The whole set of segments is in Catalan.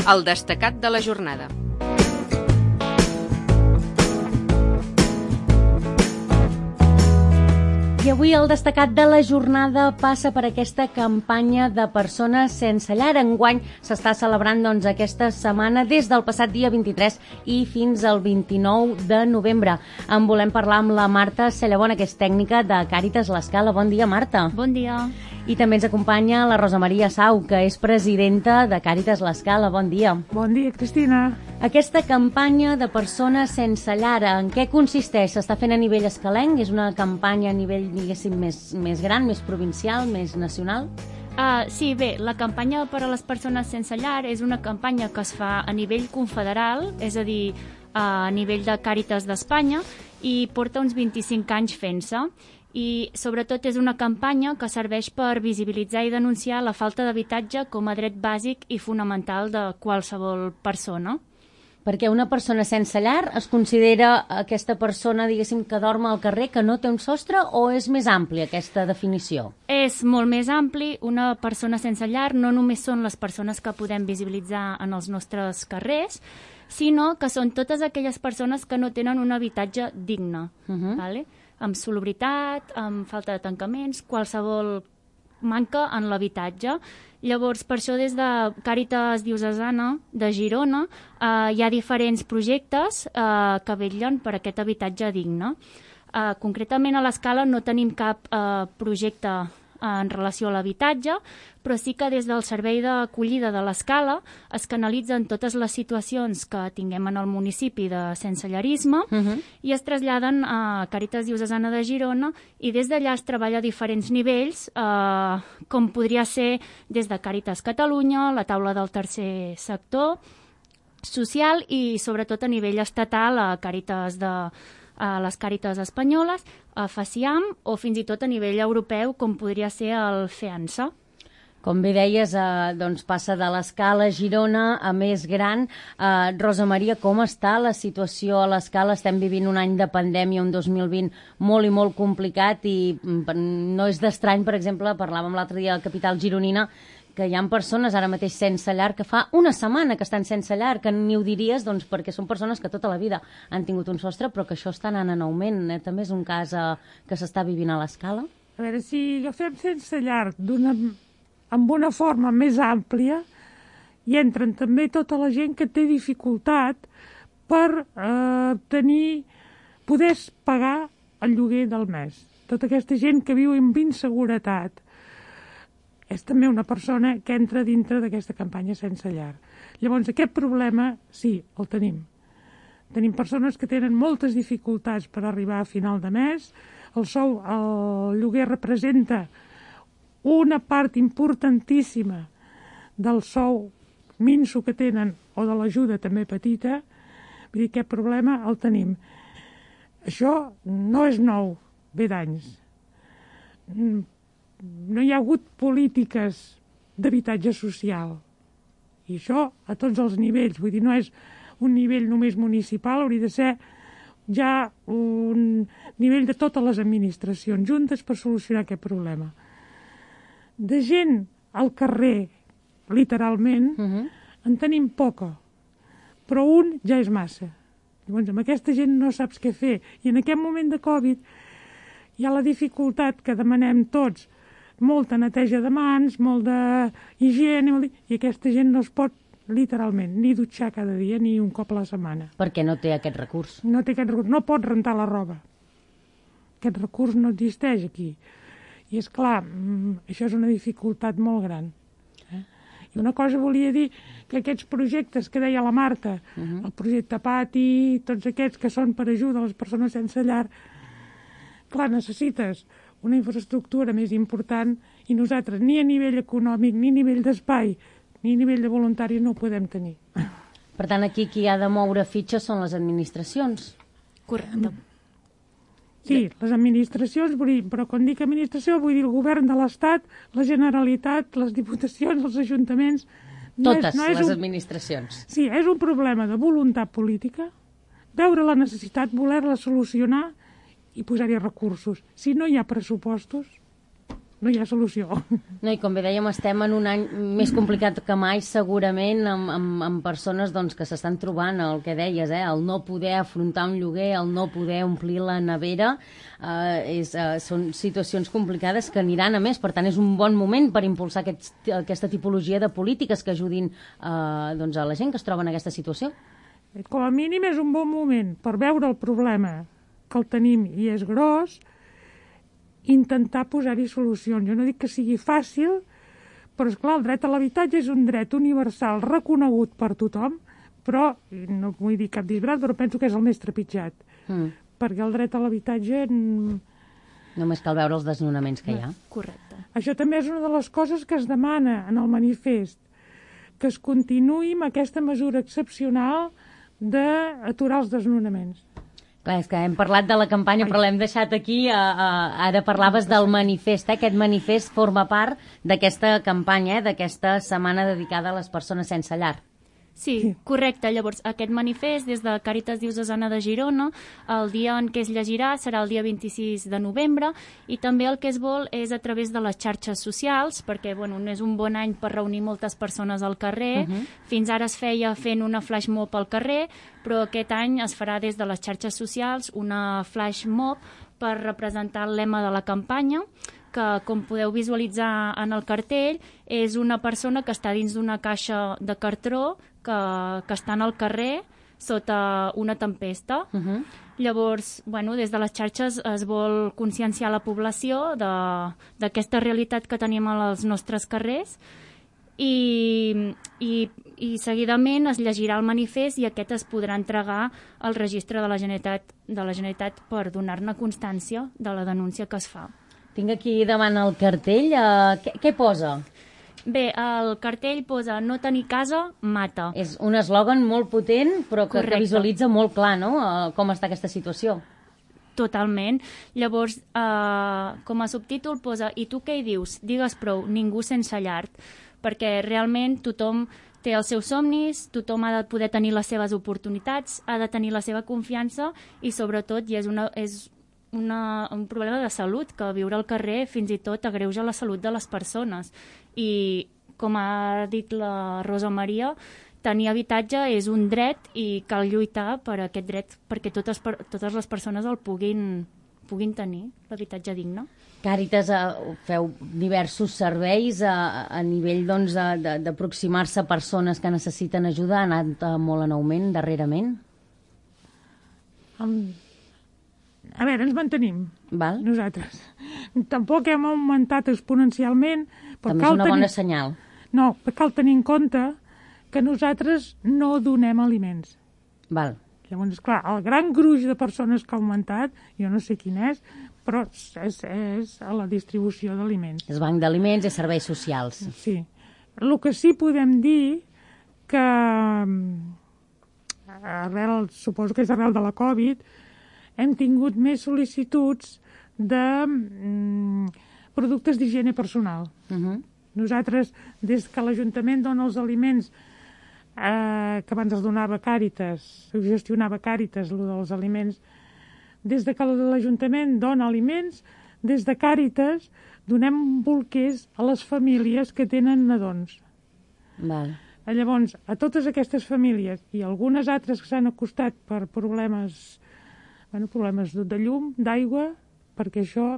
El destacat de la jornada. I avui el destacat de la jornada passa per aquesta campanya de persones sense llar. Enguany s'està celebrant aquesta setmana des del passat dia 23 i fins al 29 de novembre. En volem parlar amb la Marta Cellabona, que és tècnica de Càritas L'Escala. Bon dia, Marta. Bon dia. I també ens acompanya la Rosa Maria Sau, que és presidenta de Càritas L'Escala. Bon dia. Bon dia, Cristina. Aquesta campanya de persones sense llar, en què consisteix? S'està fent a nivell escalenc? És una campanya a nivell, diguéssim, més gran, més provincial, més nacional? Sí, bé, la campanya per a les persones sense llar és una campanya que es fa a nivell confederal, és a dir, a nivell de Càritas d'Espanya, i porta uns 25 anys fent-se. I sobretot és una campanya que serveix per visibilitzar i denunciar la falta d'habitatge com a dret bàsic i fonamental de qualsevol persona. Perquè una persona sense llar es considera aquesta persona, diguéssim, que dorm al carrer, que no té un sostre, o és més àmplia aquesta definició? És molt més ampli. Una persona sense llar no només són les persones que podem visibilitzar en els nostres carrers, sinó que són totes aquelles persones que no tenen un habitatge digne, vale? Amb salubritat, amb falta de tancaments, qualsevol manca en l'habitatge. Llavors, per això, des de Càritas Diocesana de Girona hi ha diferents projectes que vetllen per aquest habitatge digne. Concretament, a l'Escala no tenim cap projecte en relació a l'habitatge, però sí que des del servei d'acollida de l'Escala es canalitzen totes les situacions que tinguem en el municipi de sensellarisme i es traslladen a Càritas Diocesana de Girona, i des d'allà es treballa a diferents nivells, com podria ser des de Càritas Catalunya, la taula del tercer sector social, i sobretot a nivell estatal a Càritas a les Càritas espanyoles, a FACIAM, o fins i tot a nivell europeu, com podria ser el FEANSA. Com bé deies, doncs passa de l'Escala a Girona a més gran. Rosa Maria, com està la situació a l'Escala? Estem vivint un any de pandèmia, un 2020 molt i molt complicat, i no és d'estrany, per exemple, parlàvem l'altre dia a la capital gironina, que hi ha persones ara mateix sense llar que fa una setmana que estan sense llar, que ni ho diries, doncs, perquè són persones que tota la vida han tingut un sostre, però que això està anant en augment. També és un cas que s'està vivint a l'Escala. A veure, si agafem sense llar amb una forma més àmplia, hi entren també tota la gent que té dificultat per poder pagar el lloguer del mes. Tota aquesta gent que viu amb inseguretat és també una persona que entra dintre d'aquesta campanya sense llar. Llavors, aquest problema, sí, el tenim. Tenim persones que tenen moltes dificultats per arribar a final de mes. El lloguer representa una part importantíssima del sou minso que tenen, o de l'ajuda també petita. Vull dir, aquest problema el tenim. Això no és nou, ve d'anys. No hi ha hagut polítiques d'habitatge social. I això a tots els nivells. Vull dir, no és un nivell només municipal, hauria de ser ja un nivell de totes les administracions juntes per solucionar aquest problema. De gent al carrer, literalment, en tenim poca, però un ja és massa. Llavors, amb aquesta gent no saps què fer. I en aquest moment de Covid hi ha la dificultat que demanem tots, molta neteja de mans, molt d'higiene, i aquesta gent no es pot, literalment, ni dutxar cada dia ni un cop a la setmana. Perquè no té aquest recurs. No té aquest recurs, no pot rentar la roba. Aquest recurs no existeix aquí. I és clar, això és una dificultat molt gran. I una cosa volia dir, que aquests projectes que deia la Marta, el projecte Pati, tots aquests que són per ajuda a les persones sense llar, clar, necessites una infraestructura més important, i nosaltres ni a nivell econòmic, ni a nivell d'espai, ni a nivell de voluntaris no ho podem tenir. Per tant, aquí qui ha de moure fitxes són les administracions. Correcte. Sí, les administracions, però quan dic administració vull dir el govern de l'Estat, la Generalitat, les diputacions, els ajuntaments. Totes les administracions. Sí, és un problema de voluntat política, veure la necessitat, voler-la solucionar i posar-hi recursos. Si no hi ha pressupostos, no hi ha solució. No, i com bé dèiem, estem en un any més complicat que mai, segurament, amb persones doncs, que s'estan trobant el que deies, el no poder afrontar un lloguer, el no poder omplir la nevera, són situacions complicades que aniran a més. Per tant, és un bon moment per impulsar aquesta tipologia de polítiques que ajudin doncs, a la gent que es troba en aquesta situació. Com a mínim és un bon moment per veure el problema que el tenim i és gros, intentar posar-hi solucions. Jo no dic que sigui fàcil, però esclar, el dret a l'habitatge és un dret universal reconegut per tothom, però, no vull dir cap disbarat, però penso que és el més trepitjat. Perquè el dret a l'habitatge... Només cal veure els desnonaments que hi ha. Correcte. Això també és una de les coses que es demana en el manifest, que es continuï amb aquesta mesura excepcional d'aturar els desnonaments. Clar, és que hem parlat de la campanya, però l'hem deixat aquí. Ara parlaves del manifest. Aquest manifest forma part d'aquesta campanya, d'aquesta setmana dedicada a les persones sense llar. Sí, correcte. Llavors, aquest manifest, des de Càritas Diocesana de Girona, el dia en què es llegirà serà el dia 26 de novembre, i també el que es vol és a través de les xarxes socials, perquè no és un bon any per reunir moltes persones al carrer. Fins ara es feia fent una flash mob al carrer, però aquest any es farà des de les xarxes socials una flash mob per representar el lema de la campanya, que, com podeu visualitzar en el cartell, és una persona que està dins d'una caixa de cartró que està en el carrer sota una tempesta. Llavors, des de les xarxes es vol conscienciar la població d'aquesta realitat que tenim als nostres carrers, i seguidament es llegirà el manifest i aquest es podrà entregar al registre de la Generalitat per donar-ne constància de la denúncia que es fa. Tinc aquí davant el cartell. Què posa? Bé, el cartell posa "no tenir casa mata". És un eslògan molt potent, però que visualitza molt clar, no?, com està aquesta situació. Totalment. Llavors, com a subtítol posa "i tu què hi dius? Digues prou, ningú sense llar", perquè realment tothom té els seus somnis, tothom ha de poder tenir les seves oportunitats, ha de tenir la seva confiança i, sobretot, és un problema de salut, que viure al carrer fins i tot agreuja la salut de les persones. I, com ha dit la Rosa Maria, tenir habitatge és un dret i cal lluitar per aquest dret perquè totes les persones el puguin tenir, l'habitatge digne. Càritas, feu diversos serveis a nivell d'aproximar-se a persones que necessiten ajuda. Ha anat molt en augment darrerament? A veure, ens mantenim, Val. nosaltres. Tampoc hem augmentat exponencialment. També és una bona senyal. No, però cal tenir en compte que nosaltres no donem aliments. Val. Llavors, esclar, el gran gruix de persones que ha augmentat, jo no sé quin és, però és a la distribució d'aliments. És banc d'aliments i serveis socials. Sí. El que sí podem dir que suposo que és arrel de la Covid, hem tingut més sol·licituds de productes d'higiene personal. Nosaltres, des que l'Ajuntament dona els aliments, que abans els donava Càritas, gestionava Càritas, el dels aliments, des de que l'Ajuntament dona aliments, des de Càritas donem bolquers a les famílies que tenen nadons. Val. Llavors, a totes aquestes famílies i algunes altres que s'han acostat per problemes de llum, d'aigua, perquè això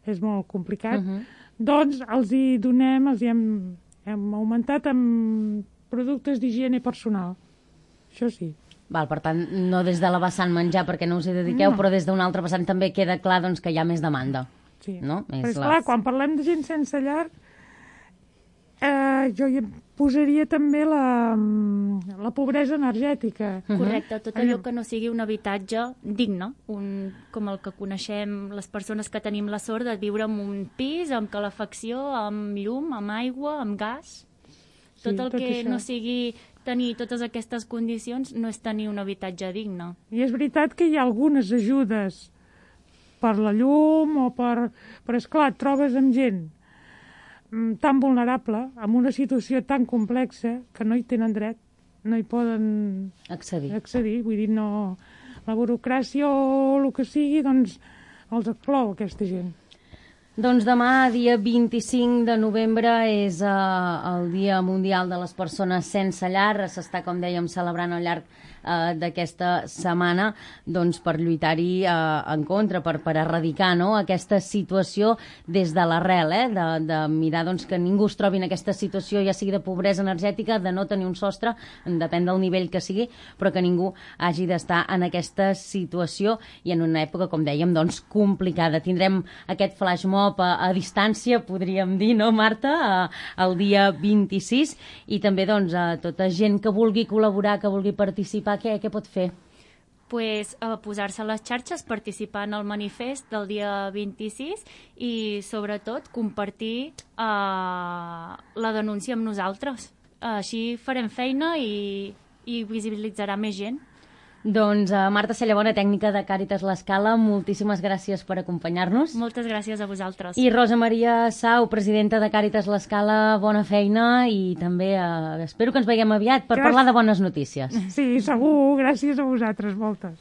és molt complicat, doncs els hi donem, hem augmentat amb productes d'higiene personal. Això sí. Val, per tant, no des de la vessant menjar perquè no us hi dediqueu, però des d'una altra vessant també queda clar que hi ha més demanda. Sí. No? Però esclar, quan parlem de gent sense llar, jo hi posaria també la pobresa energètica. Correcte, tot allò que no sigui un habitatge digne, com el que coneixem les persones que tenim la sort de viure en un pis, amb calefacció, amb llum, amb aigua, amb gas. Tot el que no sigui tenir totes aquestes condicions no és tenir un habitatge digne. I és veritat que hi ha algunes ajudes per la llum o per... Però, esclar, et trobes amb gent tan vulnerable, amb una situació tan complexa, que no hi tenen dret, no hi poden accedir. Vull dir, no... La burocràcia o el que sigui, doncs, els exclou aquesta gent. Doncs demà, dia 25 de novembre, és el Dia Mundial de les Persones Sense Llar. S'està, com dèiem, celebrant al llarg d'aquesta setmana doncs, per lluitar-hi en contra, per erradicar, no?, aquesta situació des de l'arrel, de mirar doncs, que ningú es trobi en aquesta situació, ja sigui de pobresa energètica, de no tenir un sostre, depèn del nivell que sigui, però que ningú hagi d'estar en aquesta situació i en una època, com dèiem, doncs, complicada. Tindrem aquest flash mob a distància, podríem dir, no, Marta, el dia 26, i també doncs, a tota gent que vulgui col·laborar, que vulgui participar, què pot fer? Pues, posar-se a les xarxes, participar en el manifest del dia 26 i, sobretot, compartir la denúncia amb nosaltres. Així farem feina i visibilitzarà més gent. Doncs Marta Cellabona, tècnica de Càritas L'Escala, moltíssimes gràcies per acompanyar-nos. Moltes gràcies a vosaltres. I Rosa Maria Sau, presidenta de Càritas L'Escala, bona feina i també espero que ens veiem aviat per parlar de bones notícies. Sí, segur, gràcies a vosaltres, moltes.